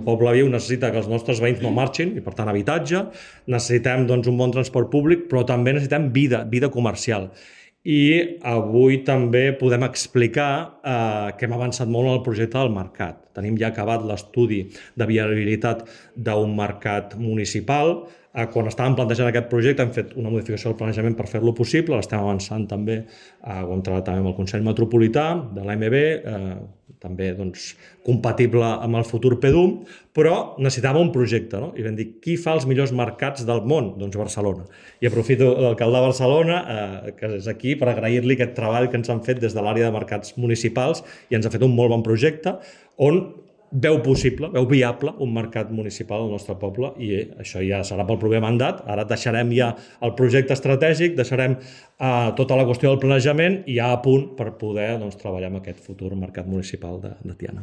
El poble viu necessita que els nostres veïns no marxin i, per tant, habitatge. Necessitem un bon transport públic, però també necessitem vida comercial. I avui també podem explicar que hem avançat molt en el projecte del mercat. Tenim ja acabat l'estudi de viabilitat d'un mercat municipal. Quan estàvem plantejant aquest projecte hem fet una modificació del planejament per fer-lo possible. L'estem avançant també, ho hem treballat també amb el Consell Metropolità de l'AMB, també compatible amb el futur PDUM, però necessitava un projecte, no? I vam dir, qui fa els millors mercats del món? Doncs Barcelona. I aprofito l'alcalde de Barcelona, que és aquí, per agrair-li aquest treball que ens han fet des de l'àrea de mercats municipals i ens ha fet un molt bon projecte on veu possible, veu viable un mercat municipal al nostre poble, i això ja serà pel proper mandat. Ara deixarem ja el projecte estratègic, deixarem tota la qüestió del planejament i ja a punt per poder treballar amb aquest futur mercat municipal de Tiana.